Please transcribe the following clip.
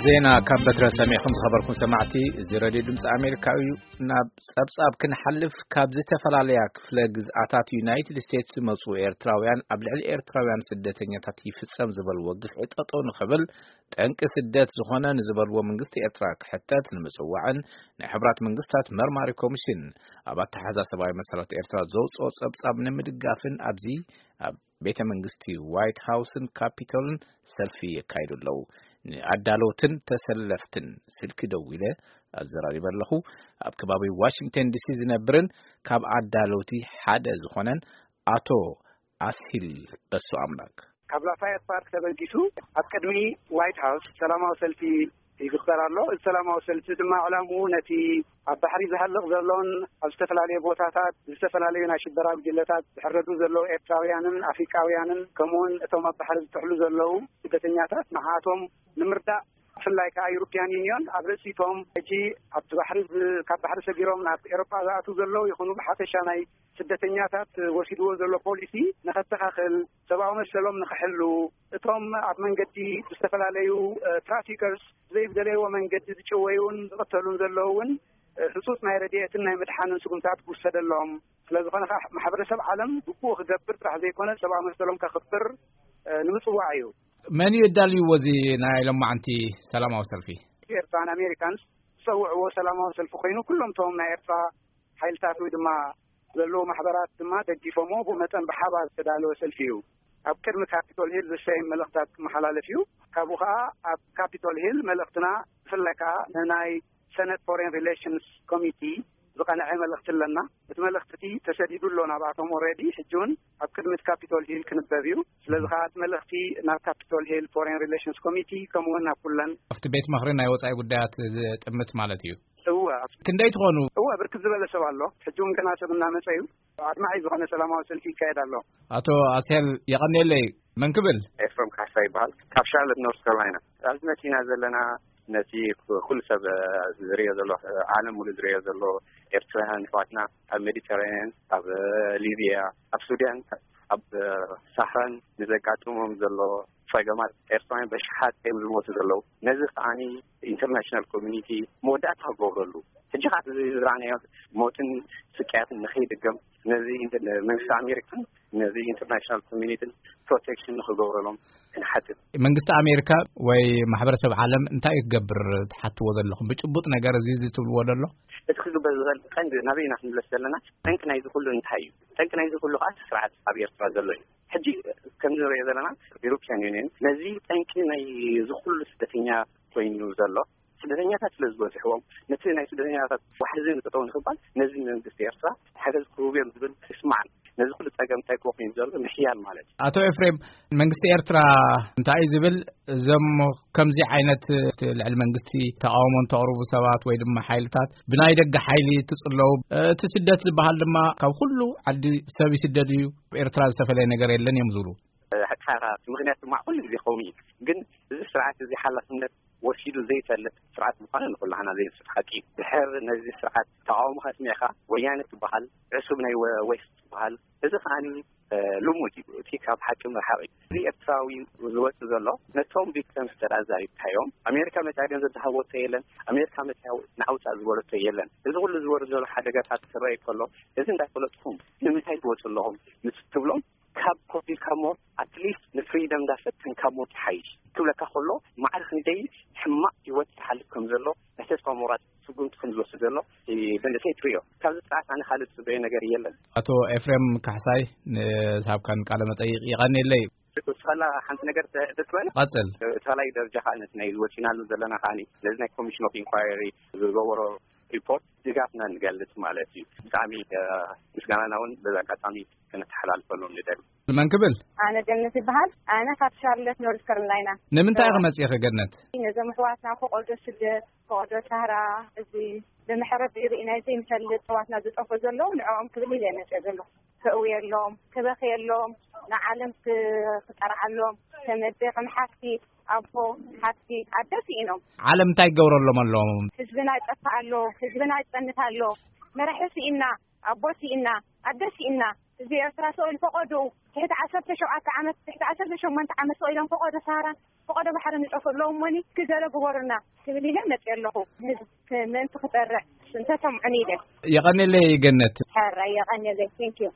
ዜና ካብ በትረ ሰሚዕኩም ዝኸበርኩም ሰማዕቲ፣ እዚ ሬድዮ ድምፂ ኣሜሪካ እዩ። ናብ ጸብጻብ ክንሓልፍ፣ ካብ ዝተፈላለያ ክፍለ ግዝኣታት ዩናይትድ ስቴትስ ዝመጹ ኤርትራውያን ኣብ ልዕሊ ኤርትራውያን ስደተኛታት ይፍጸም ዝበልዎ ግፍዒ ጠጠው ንኽብል፣ ጠንቂ ስደት ዝኾነ ንዝበልዎ መንግስቲ ኤርትራ ክሕተት ንምጽዋዕን ናይ ሕቡራት መንግስታት መርማሪ ኮሚሽን ኣብ ኣተሓዛ ሰብኣዊ መሰላት ኤርትራ ዘውጽኦ ጸብጻብ ንምድጋፍን ኣብዚ ኣብ ቤተ መንግስቲ ዋይት ሃውስን ካፒቶልን ሰልፊ የካይዱ ኣለዉ። ንኣዳለውትን ተሰለፍትን ስልኪ ደዊለ ኣዘራሪበ ኣለኹ። ኣብ ከባቢ ዋሽንግተን ዲሲ ዝነብርን ካብ ኣዳለውቲ ሓደ ዝኾነን ኣቶ ኣስሂል በሱ ኣምላክ። ካብ ላፋየት ፓርክ ተበጊሱ ኣብ ቅድሚ ዋይት ሃውስ ሰላማዊ ሰልፊ ይግበር ኣሎ። እዚ ሰላማዊ ሰልፊ ድማ ዕላምኡ ነቲ ኣብ ባሕሪ ዝሃልቕ ዘሎን ኣብ ዝተፈላለዩ ቦታታት ዝተፈላለዩ ናይ ሽበራ ጉጅለታት ዝሕረዱ ዘለዉ ኤርትራውያንን ኣፍሪቃውያንን፣ ከምኡውን እቶም ኣብ ባሕሪ ዝጥሕሉ ዘለዉ ስደተኛታት፣ ንዓቶም ንምርዳእ፣ ብፍላይ ከኣ ዩሮፕያን ዩኒዮን ኣብ ርእሲቶም ሕጂ ኣብቲ ባሕሪ ዝ-፣ ካብ ባሕሪ ሰጊሮም ናብ ኤሮጳ ዝኣትዉ ዘለዉ ይኹኑ፣ ብሓፈሻ ናይ ስደተኛታት ወሲድዎ ዘሎ ፖሊሲ ንኸተኻኽል፣ ሰብኣዊ መሰሎም ንኽሕሉ፣ እቶም ኣብ መንገዲ ብዝተፈላለዩ፣ እ፣ ትራፊከርስ ብዘይዝደለይዎ መንገዲ ዝጭወዩን ዝቕተሉን ዘለዉ እውን፣ እ፣ ህጹጽ ናይ ረድኤትን ናይ ምድሓንን ስጉምታት ክውሰደሎም፣ ስለ ዝኾነ ከኣ ማሕበረሰብ ዓለም ግቡኡ ክገብር ጥራሕ ዘይኮነ ሰብኣዊ መሰሎም ከኽብር፣ እ፣ ንምጽዋዕ እዩ። መን እዩ ኣዳልይዎ እዚ ናይ ሎማዕንቲ ሰላማዊ ሰልፊ? ኤርትራን ኣሜሪካንስ ዝጸውዕዎ ሰላማዊ ሰልፊ ኮይኑ፣ ኩሎም እቶም ናይ ኤርትራ ሓይልታት ወይ ድማ ዘለዉ ማሕበራት ድማ ደጊፎምዎ፣ ብኡ መጠን ብሓባር ዝተዳለወ ሰልፊ እዩ። ኣብ ቅድሚ ካፒቶል ሂል ዝሰየም መልእኽታት ክመሓላለፍ እዩ። ካብኡ ከኣ ኣብ ካፒቶል ሂል መልእኽትና ብፍላይ ከኣ ንናይ ሰነት ፎሬን ሪሌሽንስ ኮሚቲ ዝቐንዐ መልእኽቲ ኣለና። እቲ መልእኽቲ እቲ ተሰዲዱ ኣሎ ናብኣቶም ኦልሬዲ። ሕጂ እውን ኣብ ቅድሚ እቲ ካፒቶል ሂል ክንበብ እዩ። ስለዚ ከኣ እቲ መልእኽቲ ናብ ካፒቶል ሂል ፎሬን ሪሌሽንስ ኮሚቲ ከምኡ እውን ናብ ኩለን ኣብቲ ቤት ምኽሪ ናይ ወጻኢ ጉዳያት ዝጥምት ማለት እዩ። እወ። ክንደይ ትኾኑ? እወ፣ ብርክት ዝበለ ሰብ ኣሎ። ሕጂ እውን ገና ሰብ እናመጸ እዩ። ኣድማዒ ዝኾነ ሰላማዊ ሰልፊ ይካየድ ኣሎ። ኣቶ ኣስሄል የቐንየለይ። መን ክብል? ኤፍረም ካሕሳ ይበሃል። ካብ ሻርለት ኖርት ካሮላይና። ኣብዚ መጺና ዘለና ነቲ ኩ-፣ ኩሉ ሰብ፣ እ፣ ዝርእዮ ዘሎ፣ እ፣ ዓለም ሙሉእ ዝርእዮ ዘሎ፣ ኤርትራውያን ኣሕዋትና ኣብ ሜዲተራንያን፣ ኣብ፣ እ፣ ሊብያ፣ ኣብ ሱዳን፣ ኣብ፣ እ፣ ሳህራን ንዘጋጥሞም ዘሎ ጸገማት፣ ኤርትራውያን በሽሓት እዮም ዝሞቱ ዘለዉ። ነዚ ከዓኒ ኢንተርናሽናል ኮሚኒቲ መወዳእታ ክገብረሉ፣ ሕጂ ከዓ እዚ ዝረኣናዮ ሞትን ስቅያትን ንኸይድገም፣ ነዚ ኢንተ-፣ መንግስቲ ኣሜሪካን ነዚ ኢንተርናሽናል ኮሚኒቲን ፕሮቴክሽን ንኽገብረሎም ክንሓትት። መንግስቲ ኣሜሪካ ወይ ማሕበረሰብ ዓለም እንታይ እዩ ክገብር ትሓትዎ ዘለኹም? ብጭቡጥ ነገር እዚ፣ እዚ ትብልዎ ዘሎ? እቲ ክግበር ዝኽእል ቀንዲ ናበይ ኢና ክንምለስ ዘለና? ጠንቂ ናይዚ ኩሉ እንታይ እዩ? ጠንቂ ናይዚ ኩሉ ከዓ ስርዓት ኣብ ኤርትራ ዘሎ እዩ። ሕጂ ከም ንሪኦ ዘለና፣ ኢሮፕያን ዩኒየን ነዚ ጠንቂ ናይ እዚ ኩሉ ስደተኛ ኮይኑ ዘሎ፣ ስደተኛታት ስለ ዝበዝሕዎም፣ ነቲ ናይ ስደተኛታት ዋሕዚ ንጠጠው ንኽባል ነዚ መንግስቲ ኤርትራ ሓገዝ ክህቡ እዮም ዝብል ይስማዓን። ነዚ ኩሉ ጸገም እንታይ ክኾን እዩ ዘሎ? ምሕያል ማለት እዩ። ኣቶ ኤፍሬም፣ መንግስቲ ኤርትራ እንታይ እዩ ዝብል? እዞም ከምዚ ዓይነት ልዕሊ መንግስቲ ተቃውሞ እንተቕርቡ ሰባት ወይ ድማ ሓይልታት ብናይ ደገ ሓይሊ ትጽለዉ፣ እቲ ስደት ዝበሃል ድማ ካብ ኩሉ ዓዲ ሰብ ይስደድ እዩ፣ ኣብ ኤርትራ ዝተፈለየ ነገር የለን እዮም ዝብሉ። ሓቅኻ፣ ምኽንያት ድማ ኩሉ ግዜ ከምኡ እዩ። ግን እዚ ስርዓት እዚ ሓላፍነት ወሲዱ ዘይፈልጥ ስርዓት ምዃኑ ንኩላህና ዘይንስት ሓቂ እዩ። ድሕር ነዚ ስርዓት ተቃውሞ ከስሚዕካ፣ ወያነ ትበሃል፣ ዕሱብ ናይ ወ-፣ ዌስት ትበሃል። እዚ ከዓኒ፣ እ፣ ልሙድ እዩ። እቲ ካብ ሓቂ ምርሓቕ እዩ። እዚ ኤርትራዊ ዝወጽእ ዘሎ ነቶም ቪክተምስ ተዳዛሪብካዮም፣ ኣሜሪካ መጽያ ገንዘብ ዝሃበቶ የለን፣ ኣሜሪካ መጽያ ንዓውጻእ ዝበለቶ የለን። እዚ ኩሉ ዝወርድ ዘሎ ሓደጋታት ክረኣይ ከሎ፣ እዚ እንዳፈለጥኩም ንምንታይ ትወጹ ኣለኹም ምስ ትብሎም፣ ካብ ኮፊልካ ሞት፣ ኣትሊስት ንፍሪደም እንዳፈተንካ ሞት ይሓይሽ ክብለካ ከሎ፣ ማዕረ ክንደይ ሕማቕ ህይወት ዝሓልፍ ከም ዘሎ፣ ናይ ተስፋ ምቑራጽ ስጉምቲ ከም ዝወስድ ዘሎ፣ እቲ መንእሰይ ትርእዮ። ካብዚ ስርዓት ኣነ ካልእ ዝጽበዮ ነገር የለን። ኣቶ ኤፍሬም ካሕሳይ፣ ንዝሃብካን ቃለ መጠይቕ የቐንየለይ። እስኸላ ሓንቲ ነገር ተ-፣ ተትበል? ቀጽል። እቲ ካልኣይ ደረጃ ከኣ ነቲ ናይ ወጺናሉ ዘለና ከኣ ነዚ ናይ ኮሚሽን ኦፍ ኢንኳየሪ ዝገበሮ ሪፖርት ድጋፍና ንገልጽ ማለት እዩ። ብጣዕሚ፣ እ፣ ምስጋናና እውን በዚ ኣጋጣሚ ከነተሓላልፈሎም ንደሊ። መን ክብል? ኣነ ገነት ይበሃል። ኣነ ካብ ሻርለት ኖርዝ ካሮላይና። ንምንታይ ኢኺ መጺእኺ ገነት? ነዞም ኣሕዋትና ፈቐዶ ስደት፣ ፈቐዶ ሳህራ፣ እዚ ብመሕረቢ ርኢናዮ ዘይንፈልጥ ኣሕዋትና ዝጠፍኡ ዘለዉ፣ ንዕኦም ክብል ኢለ መጺአ ዘለኹ። ከእውየሎም፣ ክበኽየሎም፣ ንዓለም ክ-፣ ክጠርዓሎም፣ ከም ኣደ፣ ከም ሓፍቲ፣ ኣቦ፣ ሓፍቲ፣ ኣደ ስኢኖም። ዓለም እንታይ ክገብረሎም ኣለዎም? ህዝብና ይጠፍእ ኣሎ፣ ህዝብና ይጸንት ኣሎ። መራሒ ስኢና፣ ኣቦ ስኢና፣ ኣደ ስኢና፣ እዚ ኤርትራ ስኢኑ ፈቐዶ ትሕቲ ዓሰርተ ሸውዓተ ዓመት፣ ትሕቲ ዓሰርተ ሸሞንተ ዓመት ስኢኖም ፈቐዶ ሳህራ፣ ፈቐዶ ባሕሪ ንጠፍእ ኣለዎም። ሞኒ ክገለ ግበሩና ክብል ኢለ መፅእ ኣለኹ። ንህዝቢ ምእንቲ ክጠርዕ እንተሰምዑኒ ኢለ። የቐንየለይ ገነት። ሕራይ የቐንየለይ። Thank you።